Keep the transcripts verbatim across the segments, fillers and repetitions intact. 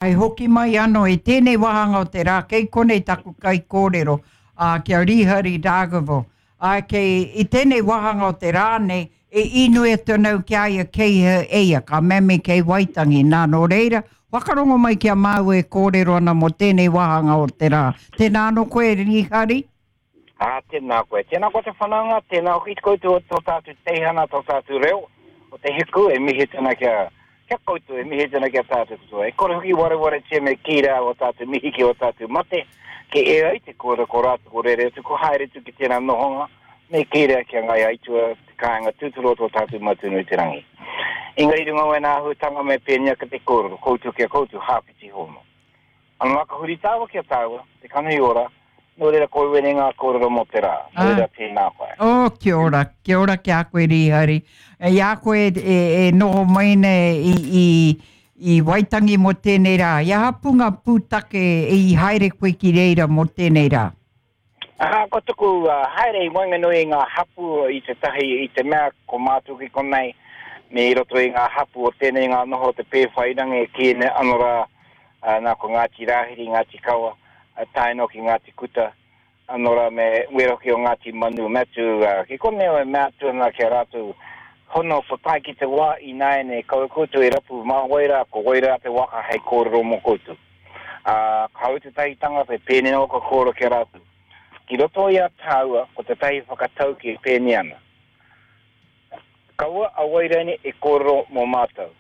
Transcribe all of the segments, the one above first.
Hei hoki mai anō i tēnei wāhanga o te rā, kei konei taku kaikōrero, ā, ki a Rīhari Dargaville. Ā, kei, i tēnei wāhanga o te rā nei, e inoi atu ana au ki a ia kei hea e ia, ka mea me kei Waitangi. Nā, nō reira, whakarongo mai ki a māua e kōrero ana mō tēnei wāhanga o te rā. Tēnā anō koe, Rīhari. Ā, tēnā koe. Tēnā koe te whanaunga, tēnā hoki koutou o tō tātou teihana, tō tātou reo, o te hiku e mihi atu ana kia, kia koutou, e mihi atu ana kia tātou katoa. E kore hoki warewaretia me kī rā o tātou mihi ki ō tātou mate, ke e ai te kōrero ko rātou ko rere atu, ko haere atu ki tērā nohonga, me kī rā kia Ngai Aitua, te kāinga tūturu o tō tātou Matua-nui-te-rangi. Engari i runga o ēnā āhuatanga me pēnei ake te kōrero, koutou ki a koutou, hāpiti hono. Anō ka huri tāua ki a tāua, te kanohi ora, nō reira ko wēnei ngā kōrero mō te rā, nō reira tēnā koe. Oh, kia ora, kia ora ki a koe Rīhari. I a koe e, e noho mai nei i, i, i Waitangi mō tēnei rā, i aha pū ngā pūtake i haere koe ki reira mō tēnei rā? Aha, ko tuku uh, haere i waenganui i ngā hapū i te tahi i te mea ko mātou ki konei me i roto i ngā hapū o tēnei ngā noho o te Pēwhairangi e kī nei ano rā uh, nā ko Ngāti Rāhiri, Ngāti Kawa, uh, tae noa ki Ngāti Kuta, ano rā me wera hoki o Ngāti Manu, mea atu uh, ki konei e mea atu ana ki a rātou hono ko tae ki te wā ināianei kaua koutou e rapu mā wai rā, ko wai rā te waka hei kōrero mō koutou. Uh, ka hau tētahi tangata e pēnei ana ka kōrero ki a rātou. Ki roto i a tāua, ko tētahi whakatauki e pēnei ana. Kaua a Wairani e kōrero mō mātou.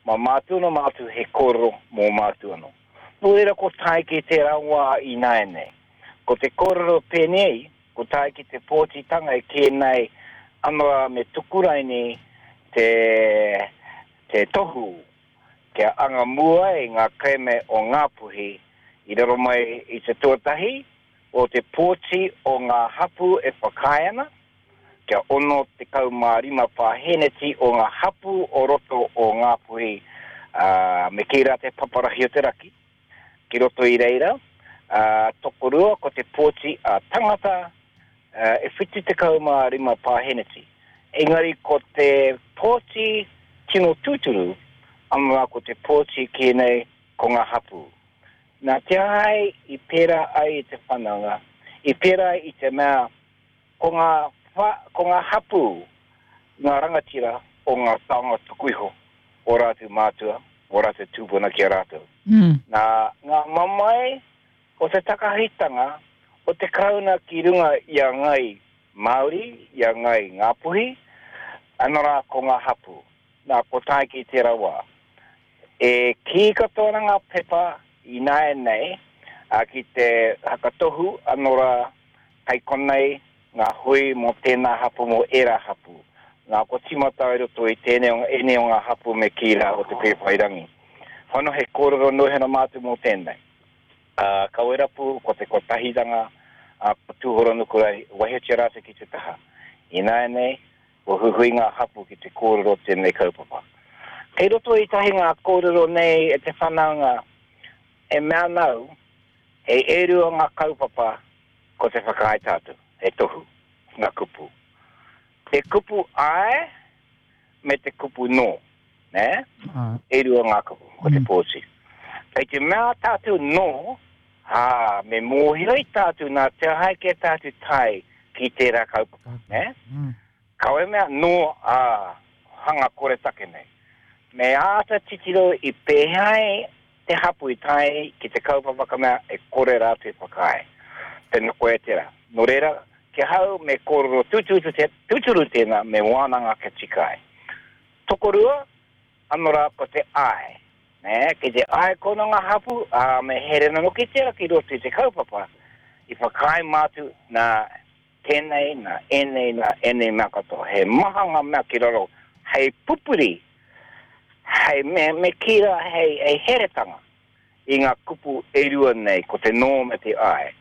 Mā mātou anō mātou he kōrero mō mātou anō. Nō reira ko tae ki tērā wā ināianei. Ko te kōrero pēnei, ko tae ki te pōtitanga e kī nei ano rā me tuku raini te, te tohu kia anga mua ai ngā kerēme o Ngāpuhi i raro mai i te tuatahi o te pōti o ngā hapū e whakaae ana, kia ono tekau mā rima pāheneti o ngā hapū o roto o Ngāpuhi, ā, me kī rā te paparahi o te raki, ki roto i reira, ā, tokorua ko te pōti a tangata, ā, e whitu tekau mā rima pāheneti. Engari ko te pōti tino tūturu, anō rā ko te pōti kī nei ko ngā hapū. Nā te aha ai i pērā ai i te whanaunga, i pērā ai i te mea ko ngā, ko ngā hapū ngā rangatira o ngā taonga tuku iho o rātou mātua, o rātou tūpuna ki a rātou. Mm. Nā ngā mamae o te takahitanga o te Karauna ki runga i a Ngai Māori, i a Ngai Ngāpuhi, anō rā ko ngā hapū. Nā, ko tae ki tērā wā. E kī katoa ana ngā pepa ināianei, ā, ki te hakatohu anō rā kei konei ngā hui mō tēnā hapū, mō ērā hapū. Nā, kua tīmata i roto i tēnei o, ēnei o ngā hapū me kī rā o Te Pēwhairangi. Whano he kōrero nohena mātou mō tēnei. Ā, ka werapu ko te kotahitanga, ā, ko Tūhoronuku rā, waihotia rātou ki te taha. Ināianei, kua huihui ngā hapū ki te kōrero tēnei kaupapa. Kei roto i tahi ngā kōrero nei e te whanaunga e mea ana au, he e rua ngā kaupapa ko te whakaae tātou, he tohu, ngā kupu. Te kupu āe me te kupu nō, nē? E rua ngā kupu, ko te pōti. Kei te mea tātou nō, ā, me mōhio i tātou nā te aha ai kē tātou tae ki tērā kaupapa, nē? Kawe mea nō, ā, hanga koretake nei. Me āta titiro i pēhea ai te hapū i tae ki te kaupapa ka mea e kore rātou e whakaae. Tēnā koe tērā. Nō reira, ki ahau me kōrero tūturu tēnā, me wānanga kia tika ai. Tokorua, anō rā ko te āe. Nē, ki te āe kono ngā hapū, ā, me here nanoki tērā ki roto i te kaupapa, i whakaae mātou nā tēnei, nā ēnei, nā ēnei mea katoa. He maha ngā mea ki raro hei pupuri, hei me, me kī rā hei, hei heretanga i ngā kupu e rua nei, ko te nō me te āe.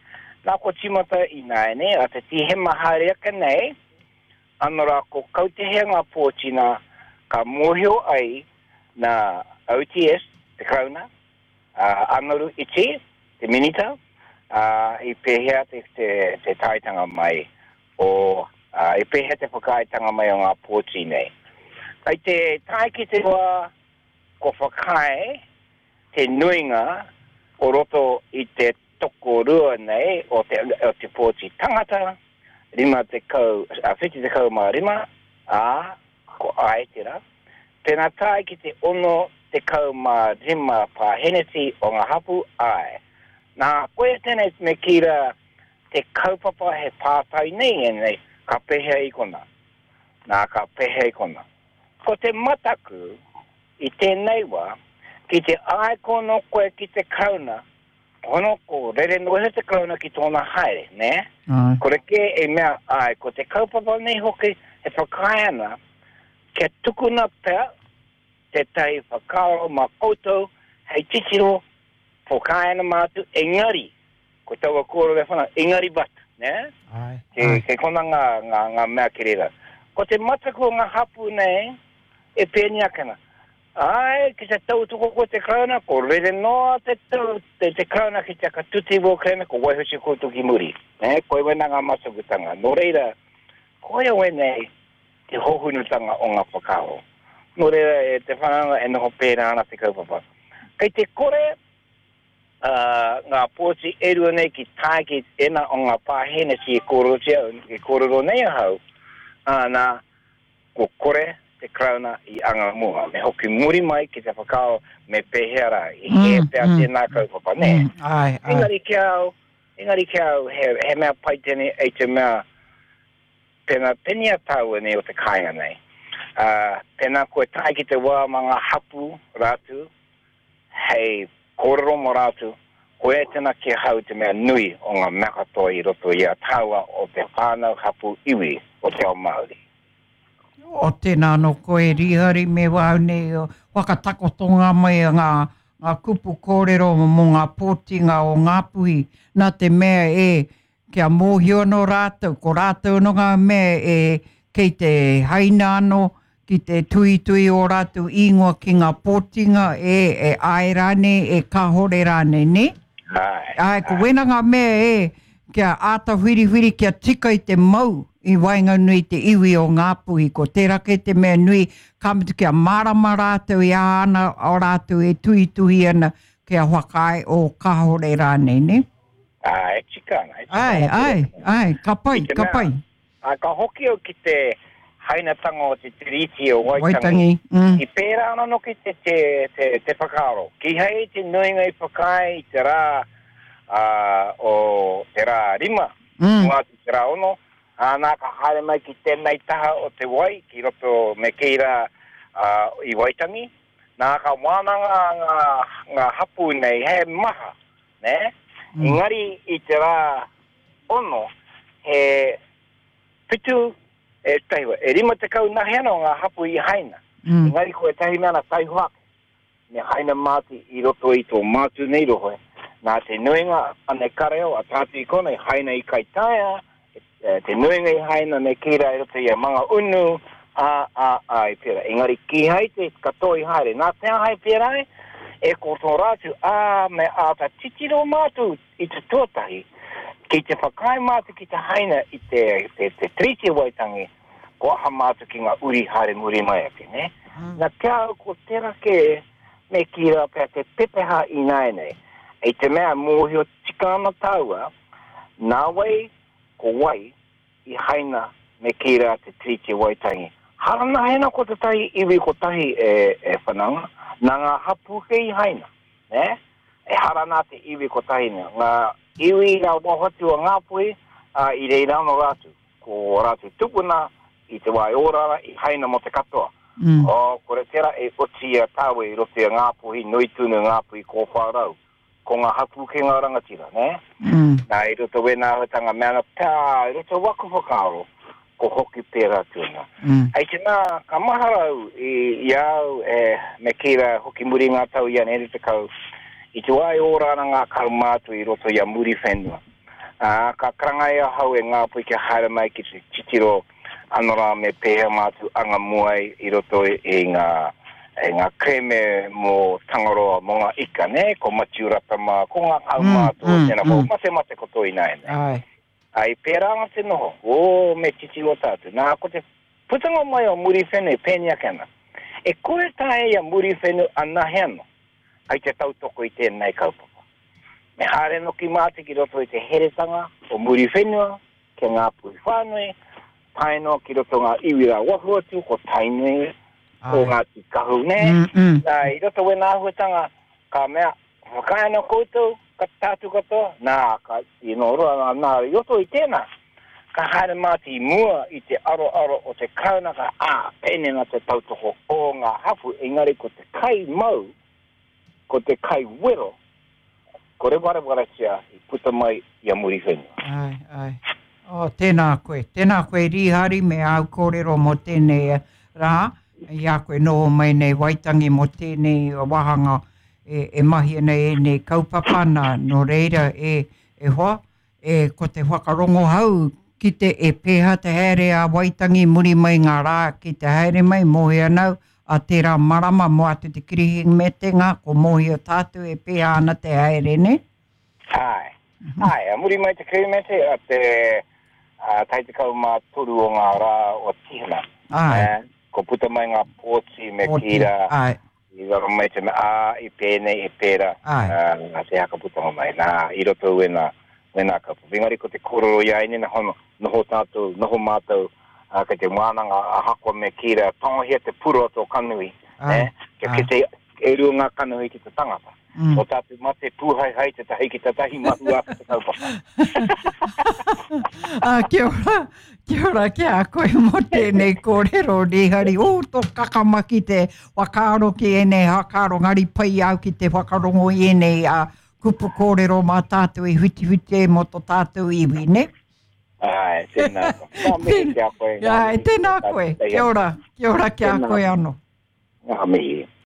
Nā, kua tīmata ināianei, a te Tīhema haere ake nei, anō rā ko kautehea ngā pōti nā, ka mōhio ai nā O T S, te Karauna, a Anaru Iti, te Minita, ā, i pēhea te, te, te taetanga mai o, ā, i pēhea te whakaaetanga mai o ngā pōti nei. Kei te tae ki te wā kua whakaae te nuinga o roto i te tokorua nei o te, o te pōti tangata, rima tekau, a whitu tekau mā rima, ā, ko ai tērā. Pēnā tae ki te ono tekau mā rima pāheneti o ngā hapu, ai. Nā, koe tēnei me kī rā te kaupapa he pātai nei ēnei, ka pehea i kona. Nā, ka pehea i kona. Ko te mataku i tēnei wā, ki te ai kono koe ki te Karauna, hono ko rere noa te Karauna ki tōna haere, ne? Ai. Kore kē e mea ai, ko te kaupapa nei hoki e whakaae ana, kia tukuna pea tētahi whakaaro mā koutou hei titiro whakaae ana mātou, engari, ko taua kōrero e whana, engari bat, ne? Ai. Ke, ke kona ngā, ngā, ngā mea ki reira. Ko te mataku o ngā hapu nei, e pēni ake ana. Ai, ki te tautoko ko te Karauna, ko rere noa te, tau, te, te Karauna ki te akatuti wō kerēme, ko waihotia koutou ki muri. Ne? Koe wena ngā matakutanga. Nō reira, koe wēnei te hohunutanga o ngā whakaaro. Nō reira, e te whananga e noho pērā ana te kaupapa. Kei te kore uh, ngā pōti e rua nei ki tae ki ena o ngā pāheneti e kōrerotia, e kōrero nei ahau, ā, nā, ko kore te Karauna i anga mua. Me hoki muri mai ki te whakaaro me pēhea rā, i he Mm, pea mm. tēnā kaupapa, nē. Mm, ai, ai. Engari ki au, engari ki au, he, he mea pai tēnei, e te mea, pēnā penia tāua nei o te kāinga nei. Uh, pēnā koe tae ki te wā mā ngā hapu rātou, hei kōrero mō rātou, koe e tēnā ki hau te mea nui o ngā mea katoa i roto i a tāua o te whānau hapu iwi o te ao Māori. O tēnā no koe Rihari me wau nei o whakatakotonga mai a ngā, ngā kupu kōrero mō ngā pōtinga o Ngāpuhi. Nā te mea e kia mōhio anō rātou, ko rātou no ngā mea e kei te haina anō ki te tuitui o rātou ingoa ki ngā pōtinga e, e ai rānei, e kāhore rānei, ne? Ai, Ai, ko wena ngā mea e kia āta whiriwhiri, kia tika i te mau i waenganui te iwi o Ngāpuhi. Ko tērā kei te mea nui, ka mutu kia mārama rātou i a ana o rātou e tuituhi ana kia whakaae o kāhore rānei, ne? Ai, e tika ana, e tika Ai, ana ai, ai, ka pai, I te ka mea, pai. Ai, ka hoki au ki te hainatanga o te Tiriti o Waitangi. Waitangi, mm. I pērā ana noki te, te, te, te whakaaro. Ki hei te nuinga i whakaae i te rā, uh, o te rā rima, Mm. ngā te rā ono, ā, nā ka haere mai ki tēnei taha o te wai, ki roto me kī rā, uh, i Waitangi. Nā ka wānanga ngā, ngā hapu nei, he maha, ne? Mm. Engari i te rā ono, he pitu, e tahiwa, e rima tekau nahe ana o ngā hapu i haina. Mm. Engari ko e tahi mea ana taihoa ake. Me haina māti i roto i tō mātu nei rohe. Nā te nuinga ane kareo a tātu i kona i haina i Kaitaia, e, te nuinga i haina me kīra i roto i a Manga Unu, a, a, a, i pērā. Engari kīhai te katoa i haere. Nā te ahai pērā e, e ko tō rātou, ā, me āta titiro mātou i te tuatahi, ki te whakaae mātou ki te haina i te, te, te Tiriti o Waitangi, ko aha mātou ki ngā uri haere muri mai ake, ne? Mm. Nā kia au ko tērā kē, me kī rā pea te pepeha i nāianei. I te mea mōhio tika ana tāua, nā wai, ko wai, i haina me kī rā te Tiriti o Waitangi. Hara nā hena ko te tahi iwi kotahi e, e whananga, nā ngā hapu ke i haina, ne? E hara nā te iwi kotahi nei. Ngā iwi ngā wahotu o Ngāpuhi, uh, i reira anō rātou. Ko rātou tupuna i te wā e ora i haina mō te katoa. Mm. O, kore tērā e oti a tāua i roto i a Ngāpuhi, nui tūnu Ngāpuhi ko whārau. Ko ngā hapu ke ngā rangatira, ne? Mm. Nā, i roto wēnā āhuatanga mea ana, pā, i roto waku whakaaro, ko hoki pērā tūna. Mm. Hei te nā, ka maharau i, i au, e, me kī rā, hoki muri ngā tau i ane te kau, i te wā e ora ana ngā kaumātua i roto i a muri whenua. Ā, ka karangai ahau e Ngāpuhi kia haere mai ki te titiro anō rā me pēhea mātou anga muai i roto i, i ngā, i ngā kreme mō Tangaroa, mō ngā ika, ne? Ko Matiu Ratama, ko ngā kaumātua, Mm, mm, tēnā, ko mm. mate mate ko toi nāianei. Ai. Ai, pērā ana te noho, o, me titiro tātou. Nā, ko te putanga mai o muri whenua, pēni ake ana. E kore tae ia muri whenua anahe anō. Hai te tautoko i tēnei kaupapa. Me haere noki mātou ki roto i te heretanga o Muriwhenua, ki ngā puhi whānui, tae noa ki roto ngā iwi rā waho atu, ko Tainui, ko Ngāti Kahu, nē? Mm, mm. Nā, i roto wēnā āhuatanga, ka mea, whakaae ana koutou, ka tātou katoa, nā, ka, i nō roa, nā, nā, i roto i tēnā, ka haere mātou i mua i te aroaro o te Karauna, ka, ā, pēnei nā te tautoko o ngā hapū, engari ko te kai mau, ko te kai wero, ko rewarewaretia i puta mai i a Muriwhenua. Ai, ai. Oh, tēnā koe. Tēnā koe Rīhari me āu kōrero mō tēnei rā. I a koe noho mai nei Waitangi mō tēnei wāhanga e, e mahi ana ēnei kaupapa nā. Nō reira e, e hoa, e, ko te whakarongohau ki te e pēhea te haere a Waitangi muri mai ngā rā ki te haere mai, mōhio ana au, a tērā marama mō atu te Kirihimete-ngā, ko mōhio tātou e pēhea ana te haere, nē? Āe. Āe, a muri mai te Kirihimete, a te a tai tekau mā toru o ngā rā o Tīhema. Āe. Eh, ko puta mai ngā pōti me Pōti, kī rā, āe. i raro mai te mea, ā, i pēnei, i pērā, Āe. ā, te haka putanga mai. Nā, i roto wēnā, wēnā kaupapa. Engari ko te kōrero i a ēnei, hono, noho tātou, noho mātou, ā, kei te wānanga ahakoa me kī rā, tangohia te puro o tō kanohi, Āe, eh, kia āe. kite e rua ngā kanohi ki te tangata. Mm. Ko tātou mate pūhaehae tētahi ki tētahi mahua ake te kaupapa. Ah, kia ora, kia ora ki a koe mō tēnei kōrero, Rīhari. Ū, tō kakama ki te whakaaro ki ēnei whakaaro, ngari pai au ki te whakarongo i ēnei uh, kupu kōrero mā tātou i whitiwhiti ai mō tō tātou iwi, ne? Ai, tēnā. Ngā mihi ki a koe. Ai, tēnā koe. Kia ora, kia ora ki a Tēnā. koe anō. Ngā mihi.